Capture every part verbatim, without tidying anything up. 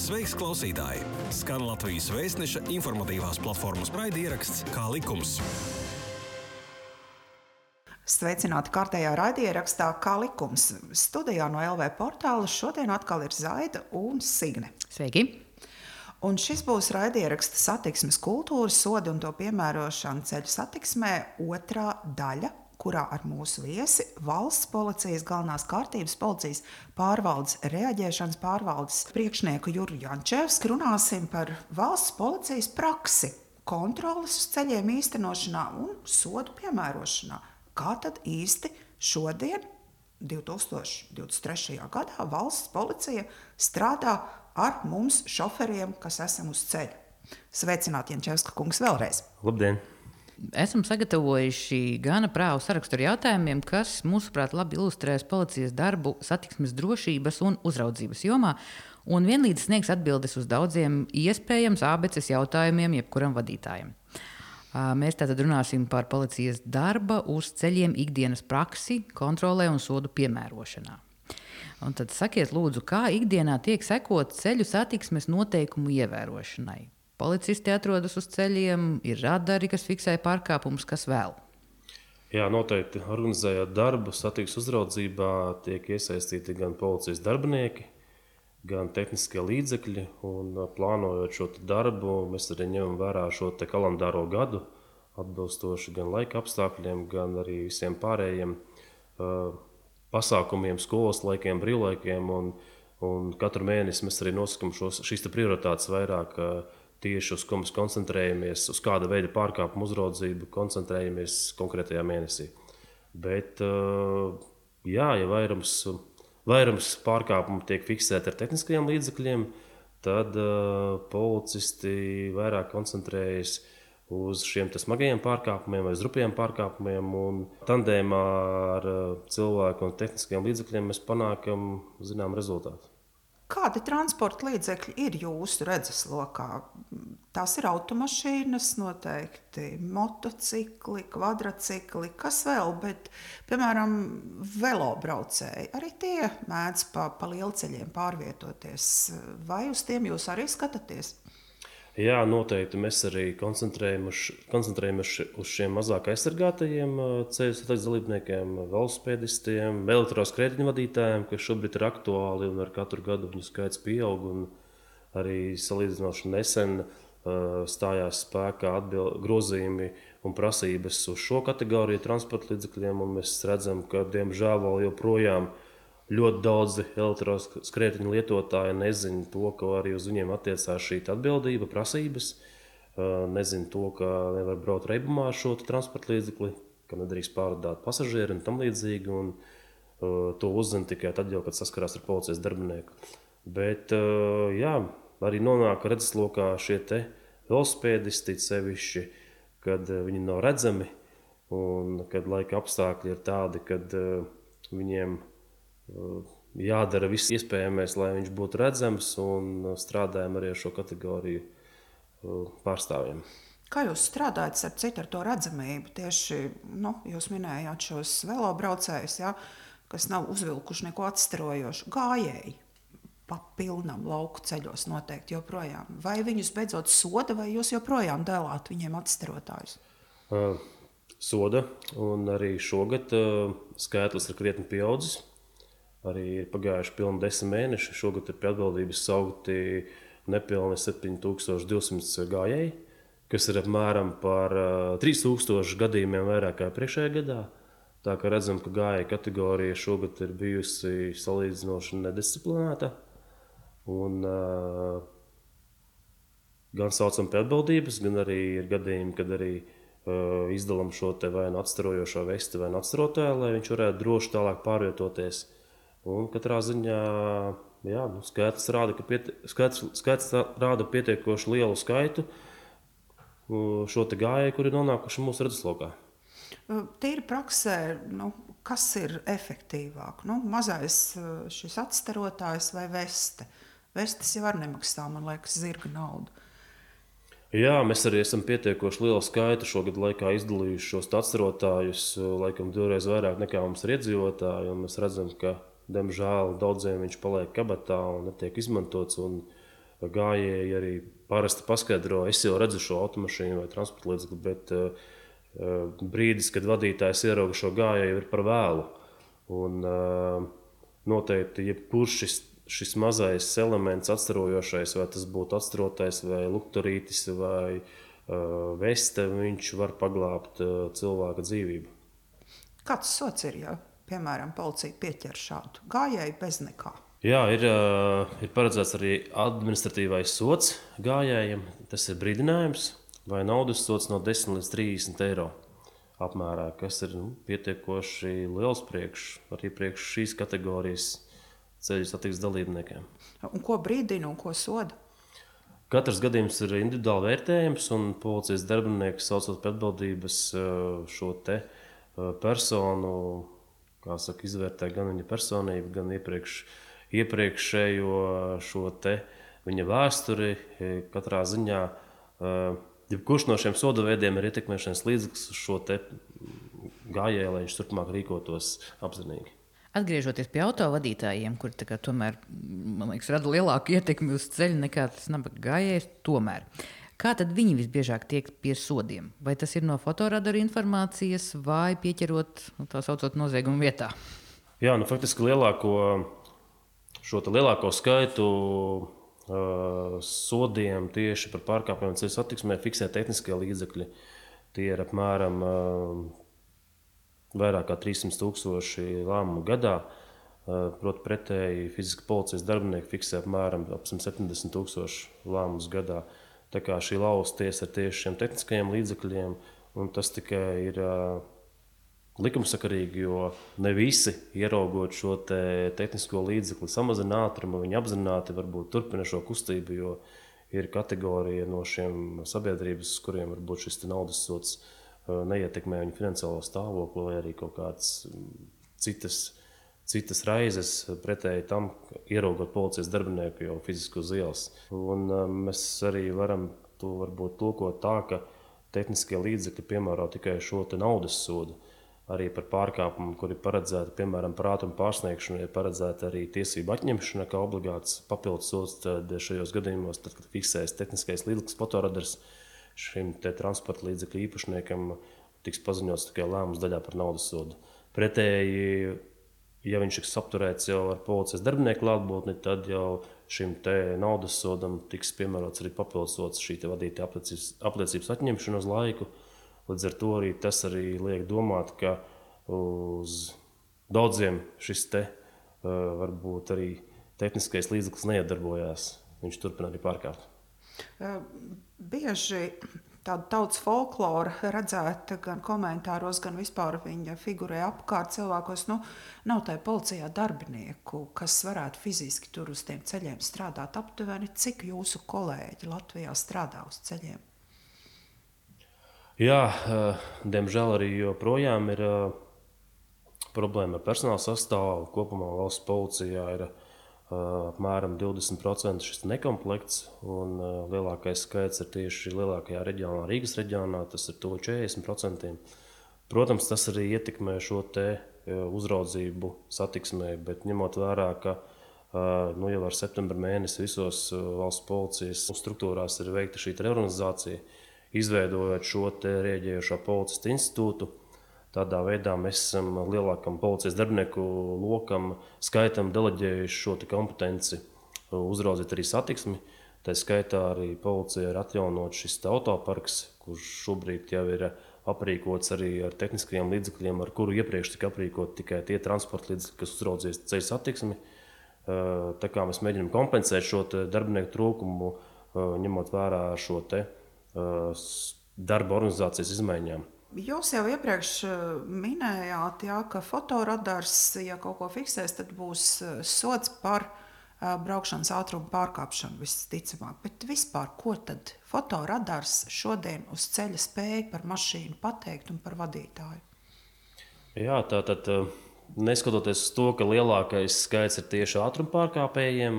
Sveiks, klausītāji! Skan Latvijas Vēstneša informatīvās platformas raidieraksts Kā likums. Sveicināti kārtējā raidierakstā Kā likums. Studijā no L V portāla šodien atkal ir Zaida un Signe. Sveiki! Un šis būs raidieraksta satiksmes kultūras sodi un to piemērošana ceļu satiksmē otrā daļa, kurā ar mūsu viesi valsts policijas galvenās kārtības policijas pārvaldes reaģēšanas pārvaldes priekšnieku Juru Jančevski runāsim par valsts policijas praksi, kontroles uz ceļiem īstenošanā un sodu piemērošanā. Kā tad īsti šodien, divi tūkstoši divdesmit trešajā gadā, valsts policija strādā ar mums šoferiem, kas esam uz ceļa? Sveicināti, Jančevska kungs, vēlreiz. Labdien! Esam sagatavojuši gana prāvu sarakstu ar jautājumiem, kas, mūsuprāt, labi ilustrēs policijas darbu satiksmes drošības un uzraudzības jomā un vienlīdz sniegs atbildes uz daudziem iespējams ābeces jautājumiem jebkuram vadītājam. Mēs tātad runāsim par policijas darba uz ceļiem ikdienas praksi, kontrolē un sodu piemērošanā. Un tad sakiet, lūdzu, kā ikdienā tiek sekot ceļu satiksmes noteikumu ievērošanai? Policisti atrodas uz ceļiem, ir radari, kas fiksē pārkāpumus, kas vēl? Jā, noteikti organizējot darbu satiksmes uzraudzībā tiek iesaistīti gan policijas darbinieki, gan tehniskie līdzekļi. Un plānojot šo darbu, mēs arī ņemam vērā šo kalendāro gadu, atbilstoši gan laika apstākļiem, gan arī visiem pārējiem uh, pasākumiem, skolas laikiem, brīvlaikiem. Un, un katru mēnesi mēs arī nosakām šos, šīs prioritātes vairāk uh, tieši uz ko mēs koncentrējamies, uz kāda veida pārkāpumu uzraudzību koncentrējamies konkrētajā mēnesī. Bet, jā, ja vairums, vairums pārkāpumu tiek fiksēti ar tehniskajiem līdzekļiem, tad policisti vairāk koncentrējas uz šiem smagajiem pārkāpumiem vai rupjiem pārkāpumiem. Un tandēmā ar cilvēku un tehniskajiem līdzekļiem mēs panākam zinām rezultātu. Kādi transporta līdzekļi ir jūsu redzeslokā? Tās ir automašīnas, noteikti motocikli, kvadrcikli, kas vēl, bet, piemēram, velobraucēji, arī tie mēdz pa, pa lielceļiem pārvietoties. Vai uz tiem jūs arī skatāties? Jā, noteikti mēs arī koncentrējamies uz šiem mazāk aizsargātajiem ceļu satiksmes dalībniekiem, velosipēdistiem, elektroskrētiņu vadītājiem, kas šobrīd ir aktuāli un ar katru gadu viņu skaits pieaug. Un arī salīdzinoši nesen uh, stājās spēkā atbild, grozījumi un prasības uz šo kategoriju transporta līdzekļiem, un mēs redzam, ka diemžēl vēl joprojām ļoti daudzi elektroskrētiņu lietotāji nezina to, ka arī uz viņiem attiecās šī atbildība, prasības. Nezina to, ka nevar braukt reibumā ar šo transporta līdzekli, ka nedrīkst pārvadāt pasažieri un tam līdzīgi. Un, uh, to uzzina tikai tad, jau, kad saskarās ar policijas darbinieku. Bet uh, jā, arī nonāk redzeslokā šie te velosipēdisti, sevišķi, kad uh, viņi nav redzami un kad laika apstākļi ir tādi, kad uh, viņiem jādara viss iespējamais, lai viņš būtu redzams, un strādājam arī ar šo kategoriju pārstāvjiem. Kā jūs strādājat ar citu ar to redzamību? Tieši, nu, jūs minējāt šos velobraucējus, ja, kas nav uzvilkuši neko atstarojošu, gājēji pa pilnam lauku ceļos noteikti joprojām. Vai viņus beidzot soda, vai jūs joprojām dēlāt viņiem atstarotājus? Uh, soda, un arī šogad uh, skaitlis ir krietni pieaudzis. Arī ir pagājuši pilni desmit mēneši. Šogad ir pie atbildības saukti nepilni septiņi tūkstoši divsimt gājēji, kas ir apmēram par trīs tūkstoši gadījumiem vairāk kā priekšējā gadā. Tā kā redzam, ka gājēju kategorija šogad ir bijusi salīdzinoši nedisciplinēta. Un, uh, gan saucam pie atbildības, gan arī ir gadījumi, kad arī uh, izdalam šo te vai nu atstarojošo vesti vai nu atstarotāju, lai viņš varētu droši tālāk pārvietoties. Un katrā ziņā jā, nu, skaits, rāda, pieti, skaits, skaits rāda pietiekoši lielu skaitu šo te gājēju, kuri ir nonākuši mūsu redzeslokā. Tīri praksē, nu, kas ir efektīvāk? Nu, mazais šis atstarotājs vai veste? Vestes jau var nemaksā, man liekas, zirga naudu. Jā, mēs arī esam pietiekoši lielu skaitu šogad laikā izdalījuši šos atstarotājus, laikam divreiz vairāk nekā mums ir iedzīvotāji, un mēs redzam, ka diemžēl daudziem viņš paliek kabatā un netiek izmantots. Un gājēji arī parasti paskaidro, es jau redzu šo automašīnu vai transporta līdzekli, bet uh, brīdis, kad vadītājs ierauga šo gājēju, ir par vēlu. Un, uh, noteikti, jebkurš šis, šis mazais elements atstarojošais, vai tas būtu atstarotais, vai lukturītis, vai uh, veste, viņš var paglābt uh, cilvēka dzīvību. Kāds sots ir, ja, piemēram, policija pieķer šādu gājēju bez nekā? Jā, ir, ir paredzēts arī administratīvais sots gājējiem. Tas ir brīdinājums vai naudas sots no desmit līdz trīsdesmit eiro apmērā, kas ir nu, pietiekoši liels priekš, arī priekš šīs kategorijas ceļu satiksmes dalībniekiem. Un ko brīdina un ko soda? Katrs gadījums ir individuāli vērtējams, un policijas darbinieki saucot pie atbildības šo te personu, kā saka, izvērtē gan viņa personību, gan iepriekš iepriekšējo šo te viņa vēsturi. Katrā ziņā jebkurš no šiem soda veidiem ir ietekmēšanas līdzeklis uz šo te gājēju, lai viņš turpmāk rīkotos apzinīgi. Atgriežoties pie autovadītājiem, kuri tā kā tomēr, man liekas, rada lielāku ietekmi uz ceļu nekā tas nabaga gājējs, tomēr. Kā tad viņi visbiežāk tiek pie sodiem? Vai tas ir no fotoradaru informācijas vai pieķerot tā saucot noziegumu vietā? Jā, nu faktiski lielāko Šo lielāko skaitu uh, sodiem tieši par pārkāpumiem ceļu satiksmē fiksē tehniskie līdzekļi. Tie ir apmēram uh, vairāk kā trīssimt tūkstoši lēmumu gadā. Uh, proti pretēji fiziski policijas darbinieki fiksē apmēram ap simt septiņdesmit tūkstoši lēmumus gadā. Tā kā šī lauza tiesa ir tieši šiem tehniskajiem līdzekļiem, un tas tikai ir uh, likumsakarīgi, jo ne visi, ieraugot šo te tehnisko līdzekli, samazina ātrumu, viņi apzināti varbūt turpina šo kustību, jo ir kategorija no šiem sabiedrības, kuriem varbūt šis naudas sots neietekmē viņu finansiālo stāvokli vai arī kaut kādas citas, citas raizes pretēji tam, ieraugot policijas darbinieku jau fiziski uz ielas. Un mēs arī varam to varbūt tulkot tā, ka tehniskie līdzekļi piemēro tikai šo te naudas sodu. Arī par pārkāpumu, kur ir paredzēta, piemēram, par ātrumu pārsniegšanu, ir paredzēta arī tiesību atņemšana, kā obligāts papildus sods. Tad šajos gadījumos, tad, kad fiksēs tehniskais līdzeklis fotoradars, šim te transporta līdzekļu īpašniekam tiks paziņots tikai lēmums daļā par naudas sodu. Pretēji, ja viņš tiks apturēts jau ar policijas darbinieku klātbūtni, tad jau šim te naudas sodam tiks piemērots arī papildus sods, šī te vadītāja apliecības, apliecības atņemšana uz laiku. Līdz ar to arī tas arī liek domāt, ka uz daudziem šis te varbūt arī tehniskais līdzeklis neiedarbojās. Viņš turpina arī pārkāpt. Bieži tāda tautas folklora redzēta gan komentāros, gan vispār viņa figurē apkārt cilvēkos. Nu, nav tai policijā darbinieku, kas varētu fiziski tur uz tiem ceļiem strādāt. Aptuveni, cik jūsu kolēģi Latvijā strādā uz ceļiem? Jā, diemžēl arī joprojām ir problēma ar personāla sastāvu. Kopumā valsts policijā ir apmēram divdesmit procenti šis nekomplekts, un lielākais skaits ir tieši lielākajā reģionā, Rīgas reģionā, tas ir tuvu četrdesmit procenti. Protams, tas arī ietekmē šo te uzraudzību satiksmē, bet ņemot vērā, ka nu, jau ar septembra mēnesi visos valsts policijas struktūrās ir veikta šī reorganizācija, izveidojot šo te rēģējošo policistu institūtu. Tādā veidā mēs esam lielākam policijas darbinieku lokam, skaitam deleģējuši šo te kompetenci uzraudzīt arī satiksmi. Tā skaitā arī policija ir atjaunot šis autoparks, kurš šobrīd jau ir aprīkots arī ar tehniskajiem līdzekļiem, ar kuru iepriekš tika aprīkot tikai tie transporta līdzekļi, kas uzraudzīs ceļu satiksmi. Tā kā mēs mēģinām kompensēt šo te darbinieku trūkumu, ņemot vērā šo te darba organizācijas izmaiņām. Jūs jau iepriekš minējāt, jā, ka fotoradars, ja kaut ko fiksēs, tad būs sods par braukšanas ātrumu pārkāpšanu visticamāk. Bet vispār, ko tad fotoradars šodien uz ceļa spēja par mašīnu pateikt un par vadītāju? Jā, tātad neskatoties uz to, ka lielākais skaits ir tieši ātrumu pārkāpējiem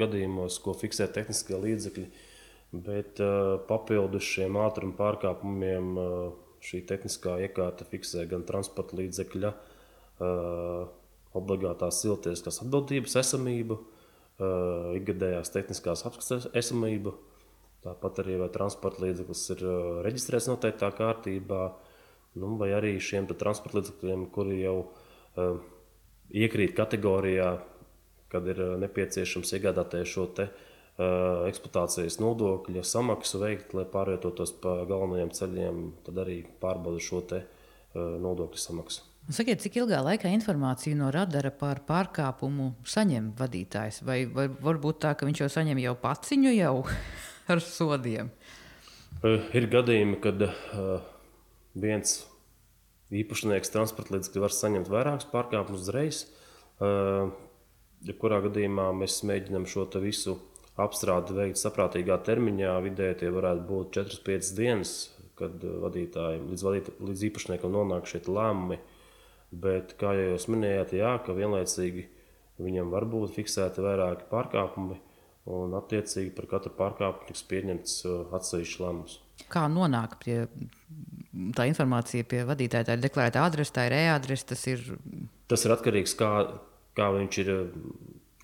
gadījumos, ko fiksē tehniskie līdzekļi, bet uh, papildus šiem ātruma pārkāpumiem uh, šī tehniskā iekārta fiksē gan transporta līdzekļa uh, obligātās cilvēciskās atbildības esamību, uh, ikgadējās tehniskās apskates esamību, tāpat arī vai transporta līdzeklis ir uh, reģistrēts noteiktā kārtībā, nu, vai arī šiem transporta līdzekļiem, kuri jau uh, iekrīt kategorijā, kad ir uh, nepieciešams iegādāties šo te uh, eksploatācijas nodokļa samaksu veikt, lai pārvietotos pa galvenajiem ceļiem, tad arī pārbauda šo te uh, nodokļu samaksu. Sakiet, cik ilgā laikā informāciju no radara par pārkāpumu saņem vadītājs? Vai, vai varbūt tā, ka viņš jau saņem jau paciņu jau ar sodiem? Uh, ir gadījumi, kad uh, viens īpašnieks transporta līdzekļu var saņemt vairākus pārkāpumus uzreiz. Uh, jebkurā gadījumā mēs mēģinām šo visu apstrādi veikt saprātīgā termiņā. Vidēji tie varētu būt četras līdz piecas dienas, kad vadītājiem, līdz, vadīt, līdz īpašniekam nonāk šie lēmumi. Bet, kā jau jūs minējāt, jā, ka vienlaicīgi viņam var būt fiksēti vairāki pārkāpumi, un attiecīgi par katru pārkāpumu tiks pieņemts atsevišķs lēmums. Kā nonāk pie tā informācija pie vadītāja? Tā ir deklarēta adrese, tā ir e-adrese, tas ir... Tas ir atkarīgs, kā, kā viņš ir,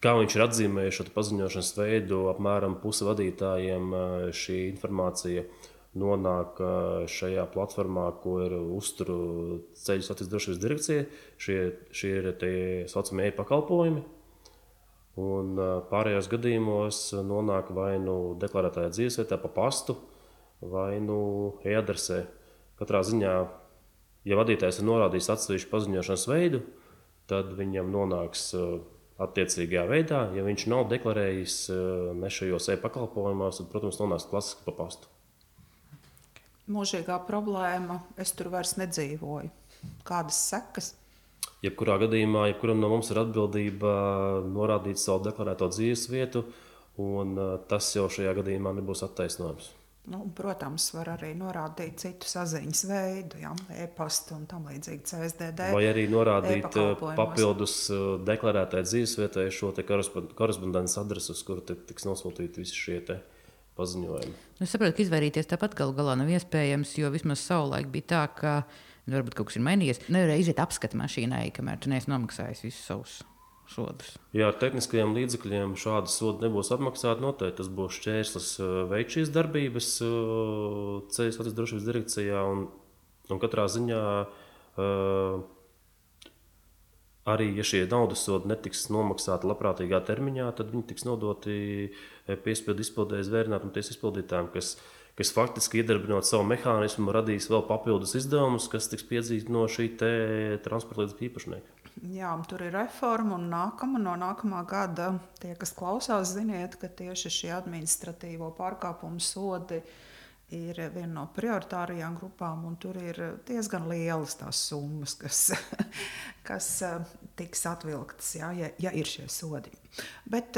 kā viņš ir atzīmējis šo paziņošanas veidu. Apmēram pusi vadītājiem šī informācija nonāk šajā platformā, ko ir uzturu ceļu satiksmes drošības direkcija. Šie, šie ir tie saucamie e-pakalpojumi. Un pārējos gadījumos nonāk vai nu deklarētajā dzīvesvietā pa pastu, vai nu e-adresē. Katrā ziņā, ja vadītājs ir norādījis atsevišķu paziņošanas veidu, tad viņam nonāks attiecīgajā veidā. Ja viņš nav deklarējis ne šajos e-pakalpojumos, tad, protams, nonāks klasiski pa pastu. Mūžīgā problēma, es tur vairs nedzīvoju. Kādas sekas? Jebkurā gadījumā, jebkuram no mums ir atbildība norādīt savu deklarēto dzīvesvietu, un tas jau šajā gadījumā nebūs attaisnojums. Nu, protams, var arī norādīt citu saziņas veidu, ja, e-pastu un tam līdzīgi C S D D. Vai arī norādīt papildus deklarētai dzīvesvietai šo te korespondences adresi, uz kuru tiks nosūtīti visi šie te paziņojumi. Es saprotu, ka izvairīties tāpat galu galā nav iespējams, jo vismaz savulaik bija tā, ka varbūt kaut kas ir mainījies. Nevarēja iziet apskata mašīnai, kamēr tu neesi nomaksājis visus savus sodus. Jā, ar tehniskajiem līdzekļiem šādi sodi nebūs apmaksāti noteikti. Tas būs šķērslis veikt šīs darbības ceļu satiksmes drošības direkcijā, un, un katrā ziņā uh, arī, ja šie naudas sodi netiks nomaksāti labprātīgā termiņā, tad viņi tiks nodoti piespiedu izpildēji zvērinātam tiesas izpildītājiem, kas, kas faktiski iedarbinot savu mehānismu, radīs vēl papildus izdevumus, kas tiks piedzīti no šī te transporta līdzekļu īpašnieka. Jā, tur ir reforma, un nākama, no nākamā gada tie, kas klausās, ziniet, ka tieši šie administratīvo pārkāpumu sodi ir viena no prioritārajām grupām, un tur ir diezgan lielas tās summas, kas, kas tiks atvilktas, jā, ja, ja ir šie sodi. Bet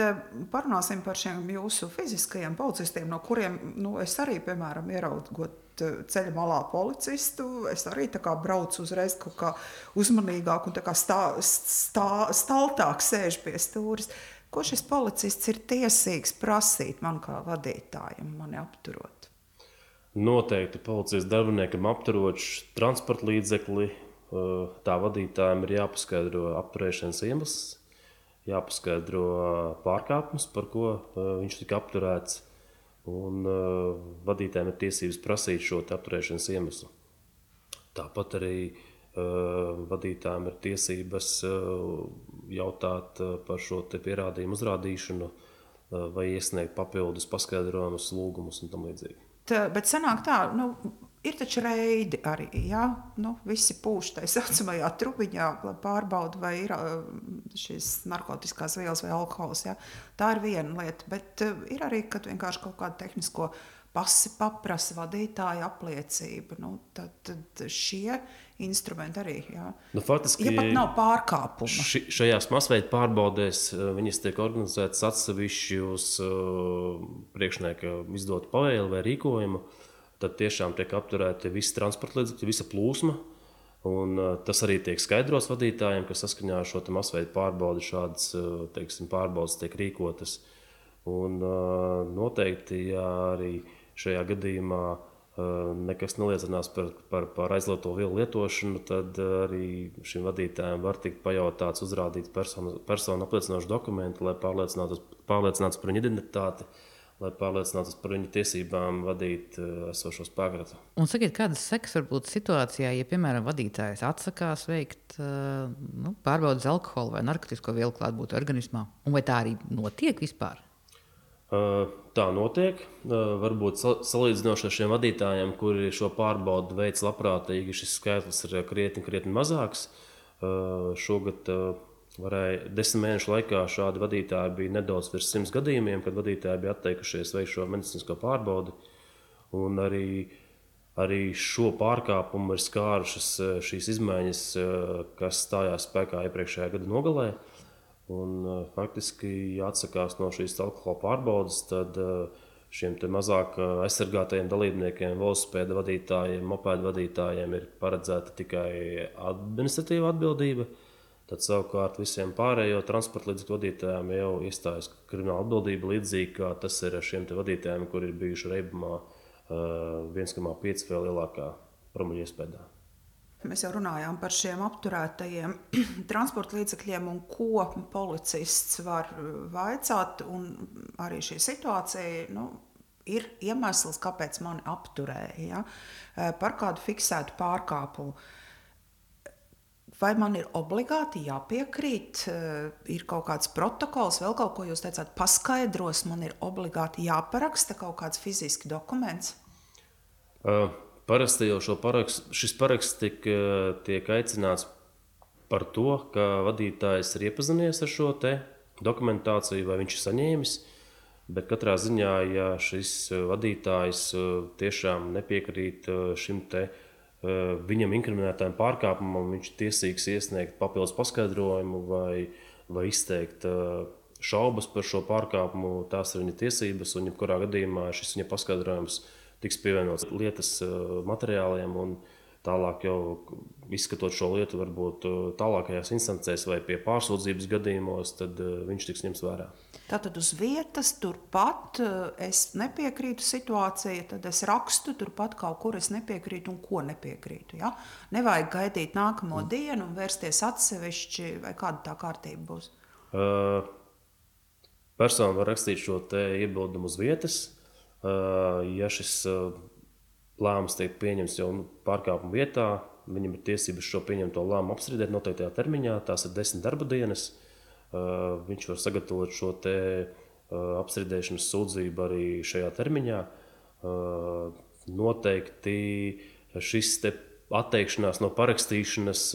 parunāsim par šiem jūsu fiziskajiem policistiem, no kuriem nu, es arī, piemēram, ieraugot ceļa malā policistu, es arī tā kā braucu uzreiz kaut kā uzmanīgāk un tā kā stā, stā, staltāk sēž pie stūris. Ko šis policists ir tiesīgs prasīt man kā vadītājam, mani apturot? Noteikti policijas darbiniekam apturot transporta līdzekli, tā vadītājiem ir jāpaskaidro apturēšanas iemesls, jāpaskaidro pārkāpums, par ko viņš tika apturēts, un vadītājiem ir tiesības prasīt šo apturēšanas iemeslu. Tāpat arī vadītājiem ir tiesības jautāt par šo te pierādījumu uzrādīšanu vai iesniegt papildus paskaidrojumus, lūgumus un tam līdzīgi. Bet sanāk tā, nu, ir taču reidi arī, jā, nu, visi pūš tai saucamajā trubiņā, lai pārbauda, vai ir šīs narkotiskās vielas vai alkohols, jā. Tā ir viena lieta, bet ir arī, kad vienkārši kaut kādu tehnisko pasi paprasa vadītāja apliecība, nu, tad, tad šie instrumenti arī, jā. Nu, faktiski, ja pat nav pārkāpuma. Ši, šajās masveida pārbaudēs viņas tiek organizētas atsevišķi uz uh, priekšnieka izdotu pavēli vai rīkojumu, tad tiešām tiek apturēti visi transporta līdzekļi, visa plūsma, un uh, tas arī tiek skaidrots vadītājiem, ka saskaņā ar šo masveida pārbaudi šādas, uh, teiksim, pārbaudas tiek rīkotas. Un uh, noteikti, ja arī šajā gadījumā nekas neliecinās par, par, par aizliegto vielu lietošanu, tad arī šim vadītājam var tikt pajautāts, uzrādīt personu, personu apliecinošu dokumentu, lai pārliecinātos, pārliecinātos par viņu identitāti, lai pārliecinātos par viņu tiesībām vadīt esošo spēkratu. Un sakiet, kādas sekas var būt situācijā, ja, piemēram, vadītājs atsakās veikt nu, pārbaudas alkoholu vai narkotisko vielu klātbūtni organismā? Un vai tā arī notiek vispār? Tā notiek. Varbūt salīdzinoši ar šiem vadītājiem, kuri šo pārbaudu veids labprātīgi, šis skaitlis ir krietni, krietni mazāks. Šogad varēja desmit mēnešu laikā šādi vadītāji bija nedaudz virs simts gadījumiem, kad vadītāji bija atteikušies veikt šo medicīnisko pārbaudi. Un arī, arī šo pārkāpumu ir skārušas šīs izmaiņas, kas stājās spēkā iepriekšējā gada nogalē. Un, faktiski, ja atsakās no šīs alkohola pārbaudes, tad šiem mazāk aizsargātajiem dalībniekiem, velosipēda vadītājiem, mopēda vadītājiem ir paredzēta tikai administratīva atbildība. Tad savukārt visiem pārējo transporta līdzekļu vadītājiem jau iestājas krimināla atbildība, līdzīgi kā tas ir ar šiem vadītājiem, kuri ir bijuši reibumā viens komats pieci vēl lielākā promila iespējā. Mēs jau runājām par šiem apturētajiem transporta līdzekļiem un ko policists var vaicāt. Un arī šī situācija nu, ir iemesls, kāpēc mani apturēja, ja? Par kādu fiksētu pārkāpumu. Vai man ir obligāti jāpiekrīt, ir kaut kāds protokols, vēl kaut ko jūs teicāt, paskaidros, man ir obligāti jāparaksta kaut kāds fizisks dokuments? Uh. Parasti jau šo parakst, šis paraksts tiek, tiek aicināts par to, ka vadītājs ir iepazinies ar šo te dokumentāciju, vai viņš ir saņēmis. Bet katrā ziņā, ja šis vadītājs tiešām nepiekrīt šim te viņam inkriminētājiem pārkāpumam, viņš tiesīgs iesniegt papildus paskaidrojumu vai, vai izteikt šaubas par šo pārkāpumu, tās ir viņa tiesības, un jebkurā gadījumā šis viņa paskaidrojums tiks pievienots lietas materiāliem, un tālāk jau izskatot šo lietu, varbūt tālākajās instancēs vai pie pārsūdzības gadījumos, tad viņš tiks ņemts vērā. Tātad uz vietas turpat es nepiekrītu situācijai, tad es rakstu turpat kaut kur es nepiekrītu un ko nepiekrītu. Ja? Nevajag gaidīt nākamo mm. dienu un vērsties atsevišķi, vai kāda tā kārtība būs? Uh, persona var rakstīt šo te iebildumu uz vietas. Ja šis lēmums tiek pieņemts jau pārkāpuma vietā, viņam ir tiesības šo pieņemto lēmumu apstrīdēt noteiktajā termiņā, tās ir desmit darba dienas. Viņš var sagatavot šo te apstrīdēšanas sūdzību arī šajā termiņā. Noteikti šis te atteikšanās no parakstīšanas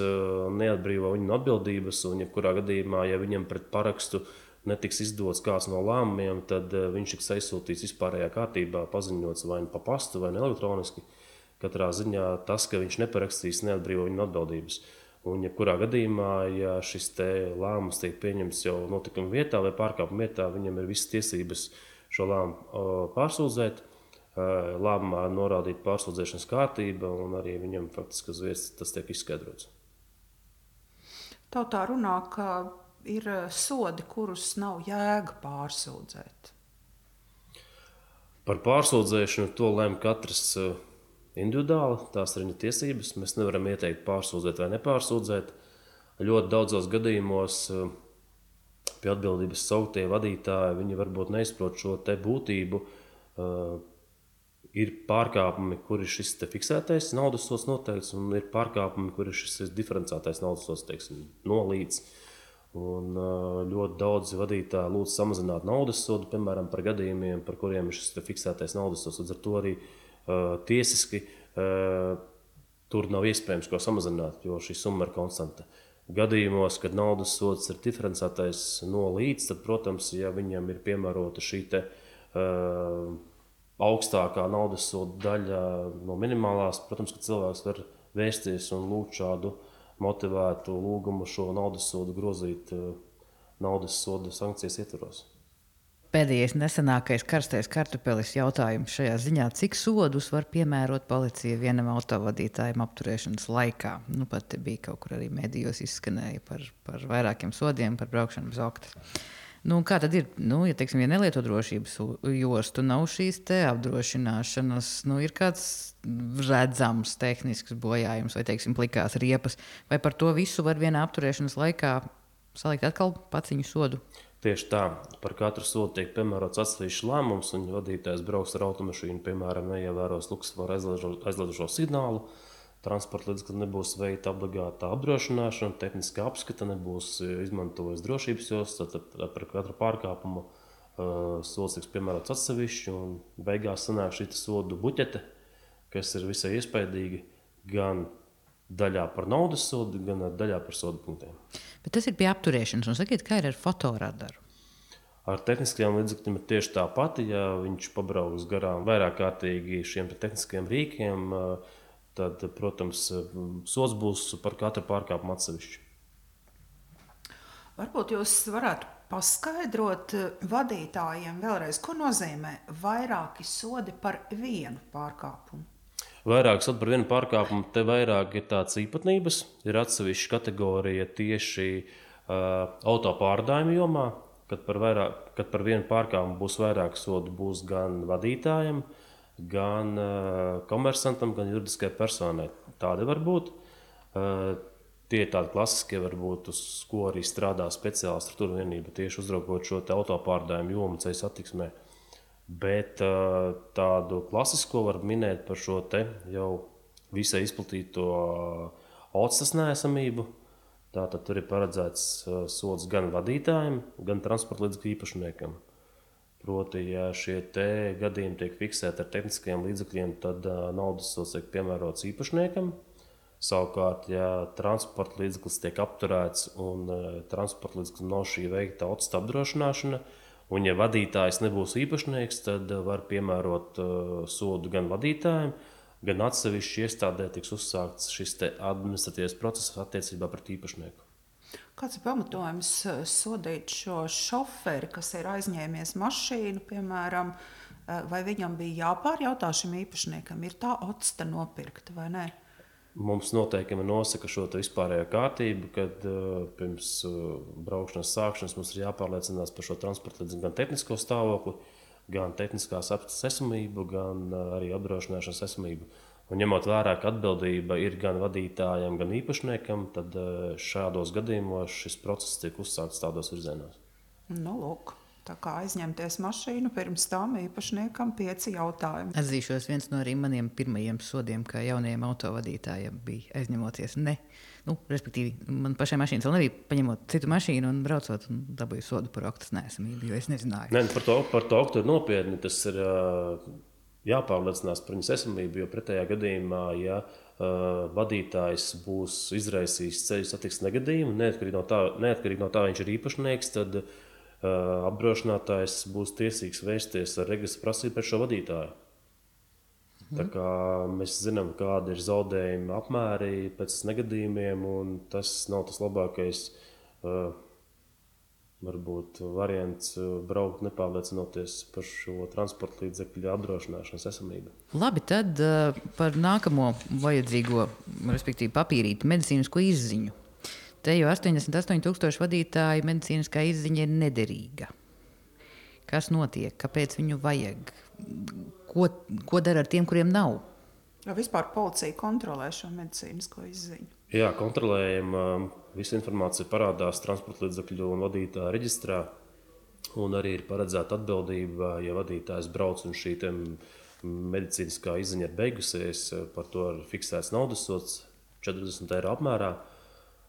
neatbrīvo viņu no atbildības, un jebkurā gadījumā, ja viņam pret parakstu netiks izdots kāds no lēmumiem, tad viņš tiks aizsūtīts vispārējā kārtībā, paziņots vai nu pa pastu, vai nu elektroniski. Katrā ziņā tas, ka viņš neparakstīs, neatbrīvo viņu no atbildības. Un jebkurā gadījumā, ja šis te lēmums tiek pieņemts jau notikuma vietā vai pārkāpuma vietā, viņam ir visas tiesības šo lēmumu pārsūdzēt. Lēmumā norādīt pārsūdzēšanas kārtība, un arī viņam faktiski uz vietas tas tiek izskaidrots. Tautā runā, ka ir sodi, kurus nav jēga pārsūdzēt. Par pārsūdzēšanu to lemj katrs individuāli, tās ir viņa tiesības. Mēs nevaram ieteikt pārsūdzēt vai nepārsūdzēt. Ļoti daudzos gadījumos pie atbildības sauktie vadītāji, viņi varbūt neizprot šo te būtību. Ir pārkāpumi, kur ir šis te fiksētais naudas sods noteikts, un ir pārkāpumi, kur ir šis diferencētais naudas sods, teiksim, nolīdz. Un ļoti daudzi vadītāji lūdz samazināt naudas sodu, piemēram, par gadījumiem, par kuriem ir šis fiksētais naudas sods. Līdz ar to arī uh, tiesiski uh, tur nav iespējams ko samazināt, jo šī summa ir konstanta. Gadījumos, kad naudas sods ir diferencētais no līdz, tad, protams, ja viņam ir piemērota šī te uh, augstākā naudas soda daļa no minimālās, protams, ka cilvēks var vērsties un lūgt šādu motivētu lūgumu šo naudas sodu grozīt naudas soda sankcijas ietvaros. Pēdējais nesenākais karstais kartupelis jautājums šajā ziņā, cik sodus var piemērot policija vienam autovadītājam apturēšanas laikā? Nu, pat bija kaut kur arī medijos izskanēja par, par vairākiem sodiem par braukšanu bez oktas. Nu, kā tad ir? Nu, ja, teiksim, ja nelieto drošības jostu, nav šīs te apdrošināšanas, nu, ir kāds redzams tehnisks bojājums vai, teiksim, plikās riepas, vai par to visu var vienā apturēšanas laikā salikt atkal paciņu sodu? Tieši tā, par katru sodu tiek piemērots atsevišķs lēmums, un vadītājs brauks ar automašīnu, piemēram, neievēros luksusvaru aizliedošo signālu, transporta līdzekļi nebūs veikta obligātā apdrošināšana, tehniskā apskata, nebūs izmantojis drošības jostas, tad par katru pārkāpumu uh, sods tiks piemērots atsevišķi, un beigās sanāk šī sodu buķete, kas ir visai iespaidīgi gan daļā par naudas sodu, gan daļā par sodu punktiem. Bet tas ir pie apturēšanas, un sakiet, kā ir ar fotoradaru? Ar tehniskajiem līdzekļiem ir tieši tā pati, ja viņš pabrauks garām vairāk kārtīgi šiem tehniskajiem rīkiem, tad, protams, sods būs par katru pārkāpumu atsevišķi. Varbūt jūs varētu paskaidrot vadītājiem vēlreiz, ko nozīmē vairāki sodi par vienu pārkāpumu? Vairāk sodi par vienu pārkāpumu, te vairāk ir tādas īpatnības. Ir atsevišķa kategorija tieši uh, auto pārvadājuma jomā, kad par, vairāk, kad par vienu pārkāpumu būs vairāk sodu, būs gan vadītājiem, gan uh, komersantam, gan juridiskai personai. Tādi var būt. Uh, tie ir tādi klasiskie, varbūt, uz ko arī strādā speciāla struktūra vienība, tieši uzraugot šo auto pārvadājumu jomu ceļu satiksmē. Bet uh, tādu klasisko var minēt par šo te jau visai izplatīto uh, otstas neesamību. Tātad tur ir paredzēts uh, sods gan vadītājiem, gan transporta līdzekļu īpašniekam. Proti, ja šie te gadījumi tiek fiksēti ar tehniskajiem līdzekļiem, tad uh, naudas sods tiek piemērots īpašniekam. Savukārt, ja transporta līdzeklis tiek apturēts un uh, transporta līdzeklis nav šī veikta otstas apdrošināšana, un, ja vadītājs nebūs īpašnieks, tad var piemērot uh, sodu gan vadītājiem, gan atsevišķi iestādē tiks uzsākts šis administratīvais process attiecībā pret īpašnieku. Kāds ir pamatojums sodīt šo šoferi, kas ir aizņēmies mašīnu, piemēram, vai viņam bija jāpārjautā šim īpašniekam, ir tā otsta nopirkta vai ne? Mums noteikumi nosaka šo vispārējo kārtību, kad uh, pirms uh, braukšanas sākšanas mums ir jāpārliecinās par šo transporta līdzekļu gan tehnisko stāvokli, gan tehniskās apskates esamību, gan uh, arī apdrošināšanas esamību. Un ņemot vērā, ka atbildība ir gan vadītājam, gan īpašniekam, tad uh, šādos gadījumos šis process tiek uzsākts tādos virzienos. Nu, lūk. Tā kā aizņemties mašīnu, pirms tam īpašniekam pieci jautājumi. Atzīšos, viens no arī maniem pirmajiem sodiem, kā jaunajiem autovadītājiem, bija aizņemoties ne. Nu, respektīvi, man pašai mašīnas vēl nebija paņemot citu mašīnu un braucot un dabūju sodu par oktas neesamību, jo es nezināju. Ne, par to, par to oktu ir nopietni. Tas ir jāpārliecinās par viņas esamību, jo pretējā gadījumā, ja uh, vadītājs būs izraisījis ceļu satiksmes negadījumu, neatkarīgi no tā, neatkarīgi no tā viņš ir īpašnieks, tad Uh, apdrošinātājs būs tiesīgs vērsties ar regresa prasību pret šo vadītāju. Mm. Tā kā mēs zinām, kādi ir zaudējumi apmēri pēc negadījumiem, un tas nav tas labākais uh, varbūt variants uh, braukt nepārliecinoties par šo transporta līdzekļu apdrošināšanas esamību. Labi, tad uh, par nākamo vajadzīgo, respektīvi papīrīti medicīnisko izziņu. Te jau astoņdesmit astoņi tūkstoši vadītāju medicīniskā izziņa ir nederīga. Kas notiek? Kāpēc viņu vajag? Ko, ko dara ar tiem, kuriem nav? Ja vispār policija kontrolē šo medicīnisko izziņu? Jā, kontrolējam. Visa informācija parādās transporta līdzekļu un vadītāju reģistrā. Un arī ir paredzēta atbildība, ja vadītājs brauc un šī medicīniskā izziņa ir beigusies, par to ir fiksēts naudas sods četrdesmit eiro apmērā.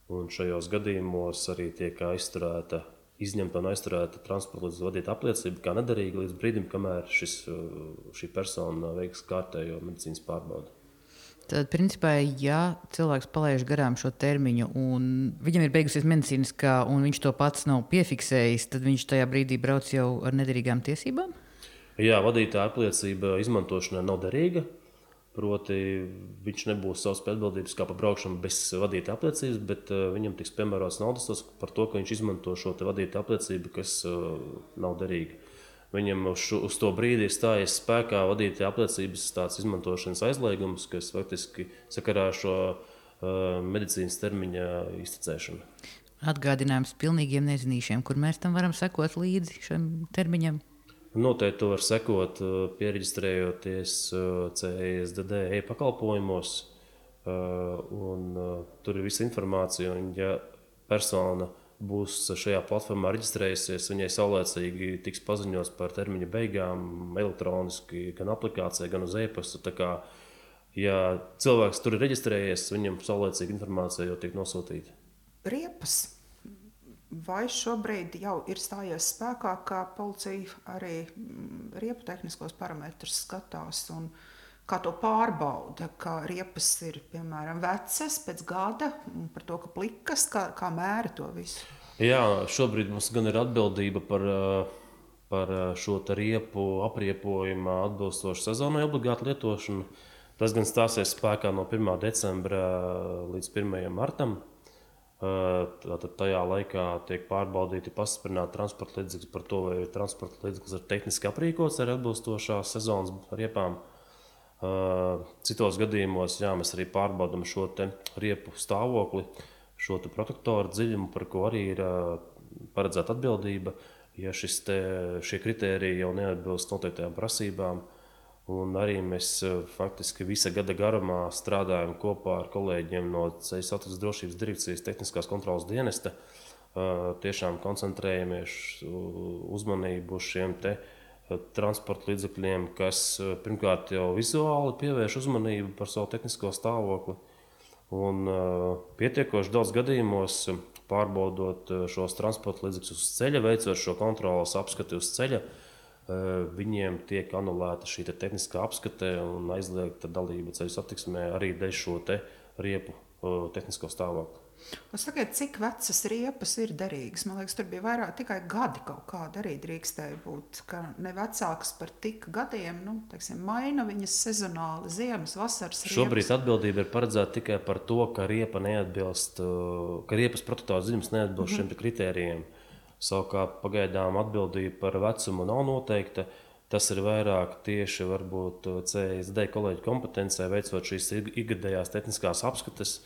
Un šajos gadījumos arī tiek aizturēta, izņemta un aizturēta transporta līdzekļu vadītāja apliecība kā nederīga līdz brīdim, kamēr šis, šī persona veiks kārtējo medicīnas pārbaudi. Tad, principā, ja cilvēks palaiž garām šo termiņu un viņam ir beigusies medicīniskā un viņš to pats nav piefiksējis, tad viņš tajā brīdī brauc jau ar nederīgām tiesībām? Jā, vadītāja apliecība izmantošanai nav derīga. Proti, viņš nebūs savas atbildības kā par braukšanu bez vadītāja apliecības, bet uh, viņam tiks piemērots naudas sods par to, ka viņš izmanto šo vadītāja apliecību, kas uh, nav derīga. Viņam uz, šo, uz to brīdi ir stājies spēkā vadītāja apliecības tāds izmantošanas aizliegums, kas faktiski sakarā ar šo uh, medicīnas termiņa iztecēšanu. atgādinājums pilnīgiem nezinīšiem, kur mēs tam varam sekot līdzi šim termiņam? Noteikti to var sekot, pieregistrējoties C S D D e-pakalpojumos, un tur ir visa informācija, un ja persona būs šajā platformā reģistrējusies, viņai saulēcīgi tiks paziņots par termiņa beigām elektroniski, gan aplikācijā, gan uz e-pastu. Tā kā, ja cilvēks tur ir reģistrējies, viņam saulēcīga informācija jau tiek nosūtīta. Riepas. Vai šobrīd jau ir stājies spēkā, ka policija arī riepu tehniskos parametrus skatās un kā to pārbauda, ka riepas ir, piemēram, vecas pēc gada, par to, ka plikas, kā, kā mēra to visu? Jā, šobrīd mums gan ir atbildība par, par šo riepu apriepojumā atbilstošu sezonai obligātu lietošanu. Tas gan stāsies spēkā no pirmā decembra līdz pirmajam martam. Tātad tajā laikā tiek pārbaudīti pastiprināti transporta līdzekļi par to, vai transporta līdzeklis ir tehniski aprīkots ar atbilstošās sezonas riepām. Citos gadījumos jā, mēs arī pārbaudām šo te riepu stāvokli, šo te protektoru dziļumu, par ko arī ir paredzēta atbildība, ja šis te, šie kritēriji jau neatbilst noteiktajām prasībām. Un arī mēs faktiski visa gada garumā strādājam kopā ar kolēģiem no Ceļu satiksmes drošības direkcijas tehniskās kontrolas dienesta. Tiešām koncentrējamies uzmanību uz šiem te transporta līdzekļiem, kas pirmkārt jau vizuāli pievērš uzmanību par savu tehnisko stāvokli. Un pietiekoši daudz gadījumos pārbaudot šos transporta līdzekļus uz ceļa, veicot šo kontrolas apskati uz ceļa, viņiem tiek anulēta šī te tehniskā apskate un aizliegta dalība ceļu satiksmē arī dēļ šo te riepu tehnisko stāvokli. Sakiet, cik vecas riepas ir derīgas? Man liekas, tur bija vairāk tikai gadi kaut kāda arī drīkstēja būt, ka ne vecāks par tik gadiem, nu, teiksim, maina viņas sezonāli, ziemas, vasaras riepas. Šobrīd atbildība ir paredzēta tikai par to, ka riepa neatbilst, ka riepas protektora dziļums neatbilst mm-hmm. šiem kritērijiem. Savukārt pagaidām atbildība par vecumu nav noteikta. Tas ir vairāk tieši varbūt C S D kolēģu kompetencē veicot šīs ikgadējās tehniskās apskates,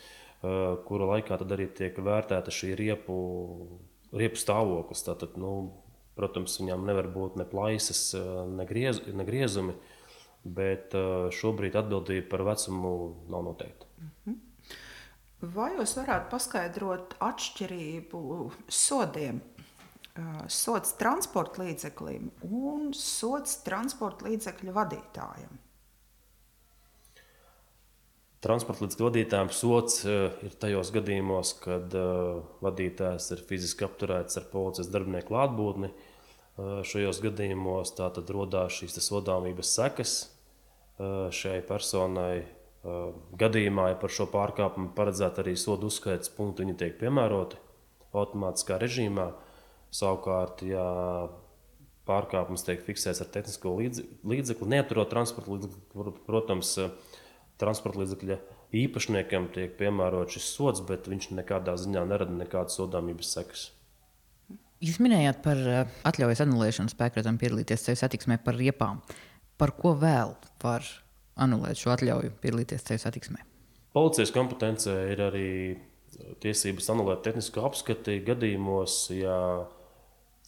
kura laikā tad arī tiek vērtēta šī riepu, riepu stāvoklis. Tātad, nu, protams, viņām nevar būt ne plaisas, ne, griez, ne griezumi, bet šobrīd atbildība par vecumu nav noteikta. Vai jūs varētu paskaidrot atšķirību sodiem? Sods transporta līdzeklim un sods transporta līdzekļu vadītājam. Transporta līdzekļu vadītājam sods ir tajos gadījumos, kad vadītājs ir fiziski apturēts ar policijas darbinieku klātbūtni. Šajos gadījumos tātad rodās šīs sodāmības sekas šai personai. Gadījumā, ja par šo pārkāpumu paredzēta arī sodu uzskaites punkti, viņi tiek piemēroti automātiskā režīmā. Savukārt, ja pārkāpums tiek fiksēts ar tehnisko līdzekli, neaturot transporta līdzekli, protams, transporta līdzekļa īpašniekam tiek piemērot šis sods, bet viņš nekādā ziņā nerada nekādas sodāmības sekas. Jūs minējāt par atļaujas anulēšanu spēkratām piedalīties ceļu satiksmē par riepām. Par ko vēl var anulēt šo atļauju piedalīties ceļu satiksmē? Policijas kompetencē ir arī tiesības anulēt tehnisko apskati gadījumos, ja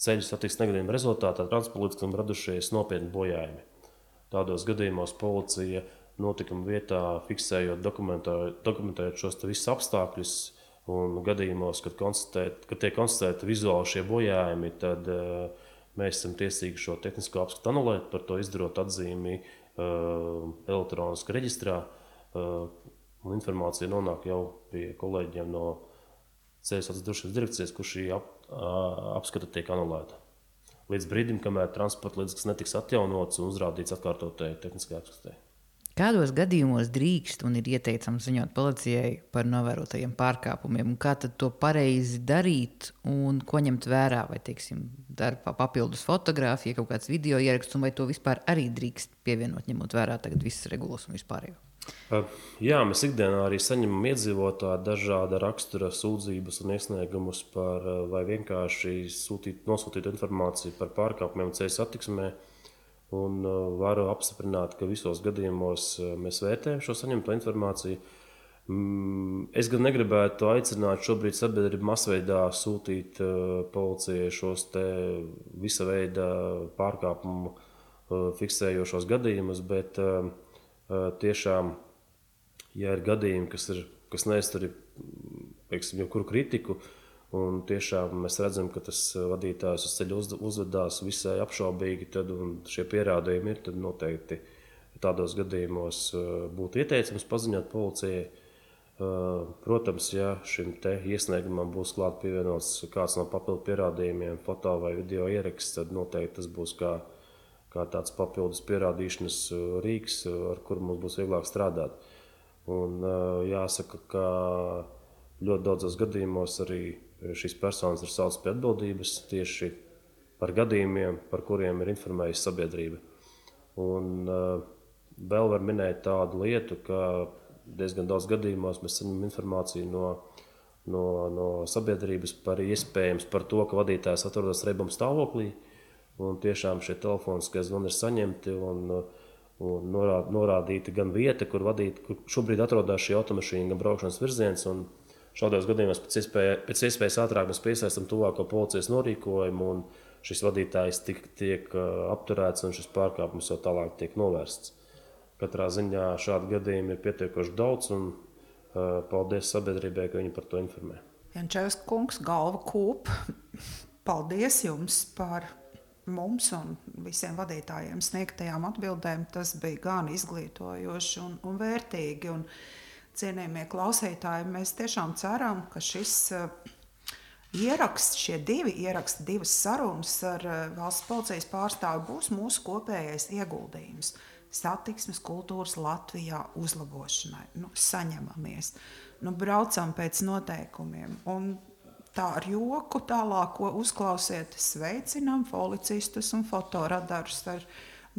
ceļu satiksmes negadījuma rezultātā transporta līdzeklim radušies nopietni bojājumi. Tādos gadījumos policija notikuma vietā fiksējot, dokumentējot šos visus apstākļus un gadījumos, kad, kad tiek konstatēti vizuāli šie bojājumi, tad uh, mēs esam tiesīgi šo tehnisko apskatu anulēt, par to izdarot atzīmi uh, elektroniski reģistrā. Uh, un informācija nonāk jau pie kolēģiem no Ceļu satiksmes drošības direkcijas, kur šī ap, apskata tiek anulēta. Līdz brīdim, kamēr transporta līdzeklis netiks atjaunots un uzrādīts atkārtotai tehniskajai apskatei. Kādos gadījumos drīkst un ir ieteicams ziņot policijai par novērotajiem pārkāpumiem? Un kā tad to pareizi darīt un ko ņemt vērā? Vai, teiksim, darba papildus fotogrāfija, kaut kāds video ieraksts, un vai to vispār arī drīkst pievienot, ņemot vērā tagad visas regulas un vispārējo? Jā, mēs ikdienā arī saņemam iedzīvotāju dažāda rakstura sūdzības un iesniegumus par vai vienkārši sūtīt, nosūtīt informāciju par pārkāpumiem ceļu satiksmē. Un varu apstiprināt, ka visos gadījumos mēs vērtējam šo saņemto informāciju. Es gan negribētu aicināt šobrīd sabiedrību masveidā sūtīt uh, policijai šos te visa veida pārkāpumu uh, fiksējošos gadījumus, bet uh, uh, tiešām, ja ir gadījumi, kas, ir, kas neiztur jebkuru kritiku, un tiešām mēs redzam, ka tas vadītājs uz ceļa uz, uzvedās visai apšaubīgi, tad un šie pierādījumi ir, tad noteikti tādos gadījumos uh, būtu ieteicams paziņot policijai. Protams, ja šim te iesniegumam būs klāt pievienots kāds no papildu pierādījumiem, foto vai video ieraksts, tad noteikti tas būs kā, kā tāds papildus pierādīšanas rīks, ar kuru mums būs vieglāk strādāt. Un jāsaka, ka ļoti daudzos gadījumos arī šīs personas ir saucas pie atbildības tieši par gadījumiem, par kuriem ir informējusi sabiedrība. Un vēl var minēt tādu lietu, ka diezgan daudz gadījumos mēs saņemam informāciju no, no, no sabiedrības par iespējams par to, ka vadītājs atrodas reibuma stāvoklī. Un tiešām šie telefoniskie zvani ir saņemti un, un norād, norādīta gan vieta, kur, vadīt, kur šobrīd atrodas šī automašīna, gan braukšanas virziens. Un šādos gadījumos pēc, iespēja, pēc iespējas ātrāk mēs piesaistam tuvāko policijas norīkojumu un šis vadītājs tiek, tiek apturēts un šis pārkāpums jau tālāk tiek novērsts. Katrā ziņā šādi gadījumi ir pietiekoši daudz, un uh, paldies sabiedrībai, ka viņi par to informē. Jančevska kungs, galva kūp. Paldies jums par mums un visiem vadītājiem sniegtajām atbildēm. Tas bija gan izglītojoši un, un vērtīgi. Un, cienījamie klausītāji, mēs tiešām ceram, ka šis uh, ieraksts, šie divi ieraksti, divas sarunas ar uh, valsts policijas pārstāvi būs mūsu kopējais ieguldījums satiksmes kultūras Latvijā uzlabošanai. Nu, saņemamies, nu, braucam pēc noteikumiem. Un tā ar joku tālāk, ko uzklausiet, sveicinām policistus un fotoradarus ar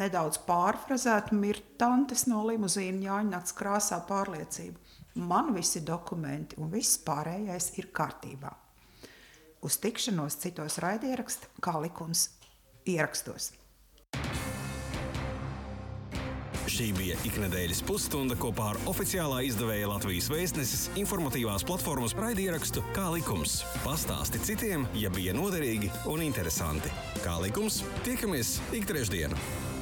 nedaudz pārfrazētu mirtantes no limuzīna Jāņnats krāsā pārliecību. Man visi dokumenti un viss pārējais ir kārtībā. Uz tikšanos citos raidieraksta, kā likums ierakstos. Šī bija iknedēļas pusstunda kopā ar oficiālā izdevēja Latvijas Vēstneses informatīvās platformas raidierakstu Kā likums. Pastāsti citiem, ja bija noderīgi un interesanti. Kā likums, tiekamies ik trešdienu.